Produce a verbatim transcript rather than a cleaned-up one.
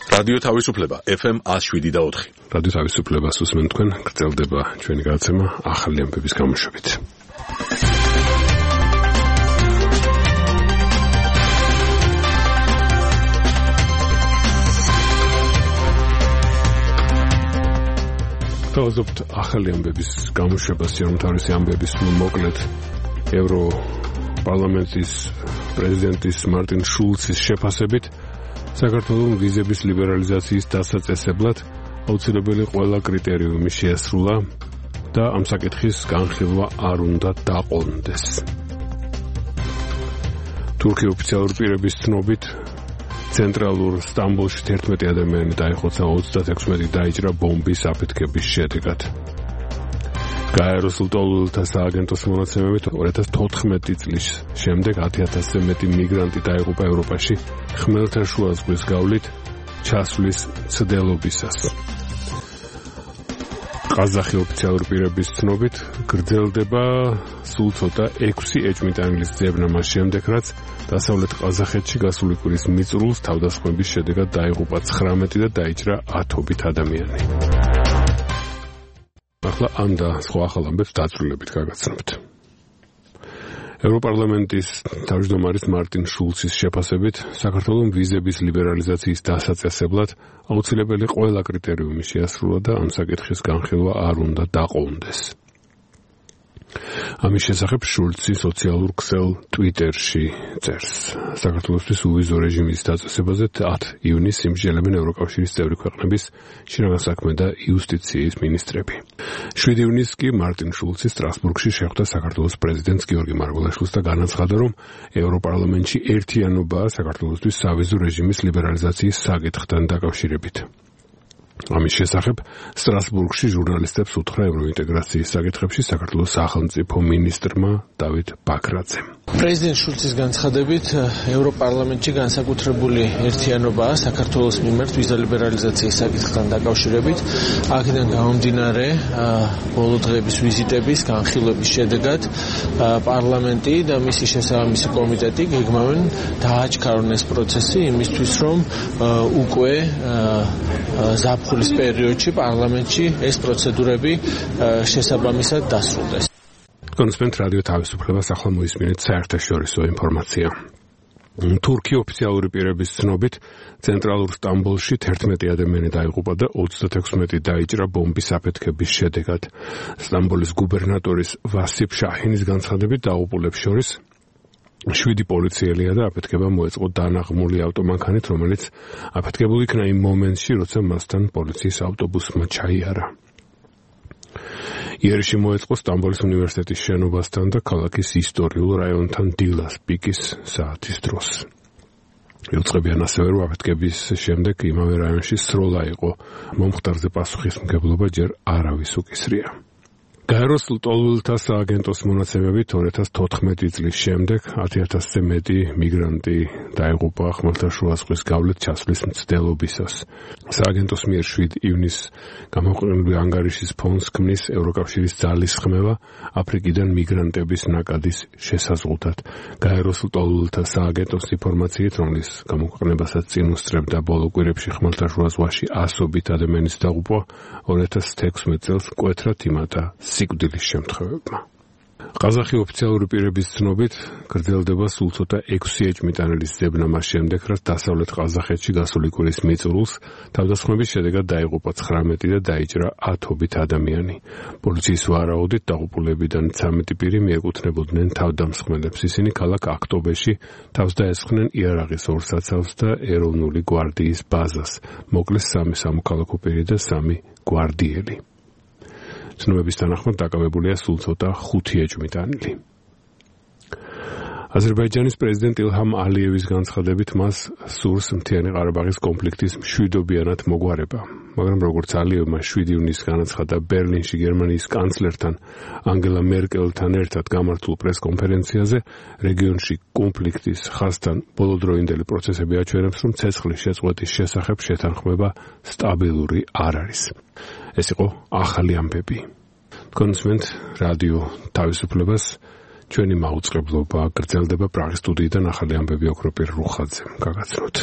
რადიო თავისუფლება ეფ ემ one oh seven და four. რადიო თავისუფლებას უსმენთ თქვენ, გრძელდება ჩვენი გადაცემა ახალი ამბების გამოშვებით. თავაზობთ ახალი ამბების გამოშვებას, რომ თავისი ამბების მოკლედ ევრო პარლამენტის პრეზიდენტის მარტინ შულცის შეფასებით საქართველოს ვიზების ლიბერალიზაციის დასაწესებლად აუცილებელი ყველა კრიტერიუმი შეასრულა და ამ საკითხის განხილვა არ უნდა დაყოლნდეს. თურქეთის ოფიციალური პირების ცნობით ცენტრალურ სტამბოლში თერთმეტი ადამიანი დაიხოცა, ოცდაექვსი დაიჭრა ბომბის აფეთქების შედეგად. გაეროს ლტოლვილთა სააგენტოს მონაცემებით ორი ათას თოთხმეტი წლის შემდეგ ათი ათასზე მეტი მიგრანტი დაიღუპა ევროპაში ხმელთაშუა ზღვის გავლით ჩასვლის მცდელობისას. ყაზახი ოფიციალური პირების ცნობით გრძელდება სულ ცოტა ექვსი ეჭვმიტანილის ძებნა მას შემდეგ, რაც დასავლეთ ყაზახეთში გასული კვირის მიწურულს თავდასხმების შედეგად დაიღუპა ცხრამეტი და დაიჭრა ათობით ადამიანი. ახლა ამ და სხვა ახალ ამბებს დაწვრილებით გაგაცნობთ. ევროპარლამენტის თავმჯდომარის მარტინ შულცის შეფასებით საქართველოს ვიზების ლიბერალიზაციის დასაწესებლად აუცილებელი ყველა კრიტერიუმი შეასრულა და ამ საკითხის განხილვა არ უნდა დაყოლნდეს. ამის შესახებ შულცი სოციალურ ქსელ ტვიტერში წერს. საქართველოსთვის უვიზო რეჟიმის დაწესებაზე ათი ივნისს იმსჯელებენ ევროკავშირის წევრი ქვეყნების შინაგან საქმე და იუსტიციის მინისტრები. შვიდი ივნისს კი მარტინ შულცი სტრასბურგში შეხვდა საქართველოს პრეზიდენტს გიორგი მარგველაშვილს და განაცხადა, რომ ევროპარლამენტში ერთიანობაა საქართველოსთვის სავიზო რეჟიმის ლიბერალიზაციის საკითხთან დაკავშირებით. ამის შესახებ სტრასბურგში ჟურნალისტებს უთხრა ევროინტეგრაციის საკითხებში საქართველოს სახელმწიფო მინისტრმა დავით ბაქრაძემ. პრეზიდენტ შულცის განცხადებით ევროპარლამენტში განსაკუთრებული ერთიანობაა საქართველოს მიმართ ვიზა ლიბერალიზაციის საკითხთან დაკავშირებით. აქედან გამომდინარე ბოლო დღეების ვიზიტების განხილვების შედეგად პარლამენტი და მისი შესაბამისი კომიტეტი გეგმავენ დააჩქარონ ეს პროცესი იმისთვის, რომ უკვე ზაფხულის პერიოდში პარლამენტში ეს პროცედურები შესაბამისად დასრულდეს. კონსპენთ რადიო თავისუფლებას ახლა მოისმინეთ საერთაშორისო ინფორმაცია. თურქეთის ოფიციალური პირების ცნობით ცენტრალურ სტამბოლში თერთმეტი ადამიანი დაიღუპა და ოცდაექვსი დაიჭრა ბომბის აფეთქების შედეგად. სტამბოლის გუბერნატორის ვასიფ შაჰინის განცხადებით დაიღუპულებს შორის შვიდი პოლიციელია და აფეთქება მოეწყო დანაღმული ავტომანქანით, რომელიც აფეთქებული იქნა იმ მომენტში, როცა მასთან პოლიციის ავტობუსმა ჩაიარა. იერიში მოეწყო სტამბოლის უნივერსიტეტის შენობასთან და ქალაქის ისტორიულ რაიონთან დილას პიკის საათის დროს. იუწყებიან ასევე, რომ აფეთქების შემდეგ იმავე რაიონში სროლა იყო. მომხდარზე პასუხისმგებლობა ჯერ არავის უკისრია. გაეროს ლტოლვილთა სააგენტოს მონაცემებით ორი ათას თოთხმეტი წლის შემდეგ ათი ათასზე მეტი მიგრანტი დაიღუპა ხმელთაშუა ზღვის გავლით ჩასვლის მცდელობისას. სააგენტოს მიერ შვიდი ივნისს გამოყენებული ანგარიშის ფონს ქმნის ევროკავშირის ძალისხმევა აფრიკიდან მიგრანტების ნაკადის შესაზღვრად. გაეროს ლტოლვილთა სააგენტოს ინფორმაციით, რომლის გამოყენებასაც წინ უსწრებდა ბოლო კვირებში ხმელთაშუა ზღვაში ასობით ადამიანის დაღუპვა, ორი ათას თექვსმეტ წელს მკვეთრად იმატა სიკვდილის შემთხვევებმა. ყაზახი ოფიციალური პირების ცნობით გრძელდება სულ ცოტა ექვსი ეჭვმიტანილის ძებნა მას შემდეგ, რაც დასავლეთ ყაზახეთში გასული კვირის მიწურულს თავდასხმების შედეგად დაიღუპა ცხრამეტი და დაიჭრა ათობით ადამიანი. პოლიციის ვარაუდით დაღუპულებიდან ცამეტი პირი მიეკუთვნებოდნენ თავდამსხმელებს. ისინი ქალაქ აქტობეში თავს დაესხნენ იარაღის ორ საცავს და ეროვნული გვარდიის ბაზას. მოკლეს სამი სამოქალაქო პირი და სამი გვარდიელი. ცნობების თანახმად დაკავებულია სულ ცოტა ხუთი ეჭვმიტანილი. აზერბაიჯანის პრეზიდენტ ილჰამ ალიევის განცხადებით მას სურს მთიანი ყარაბაღის კონფლიქტის მშვიდობიანად მოგვარება. მაგრამ როგორც ალიევმა შვიდი ივნისს განაცხადა ბერლინში გერმანიის კანცლერთან ანგელა მერკელთან ერთად გამართულ პრესკონფერენციაზე, რეგიონში კონფლიქტის ხაზთან ბოლოდროინდელი პროცესები აჩვენებს, რომ ცეცხლის შეწყვეტის შესახებ შეთანხმება სტაბილური არ არის. ეს იყო ახალი ამბები. კონსმენთ რადიო თავისუფლებას ჩვენი მაუწყებლობა გრძელდება პრაღის სტუდიიდან ახალი ამბები ოქროპირ რუხაძემ. გაგაცნოთ.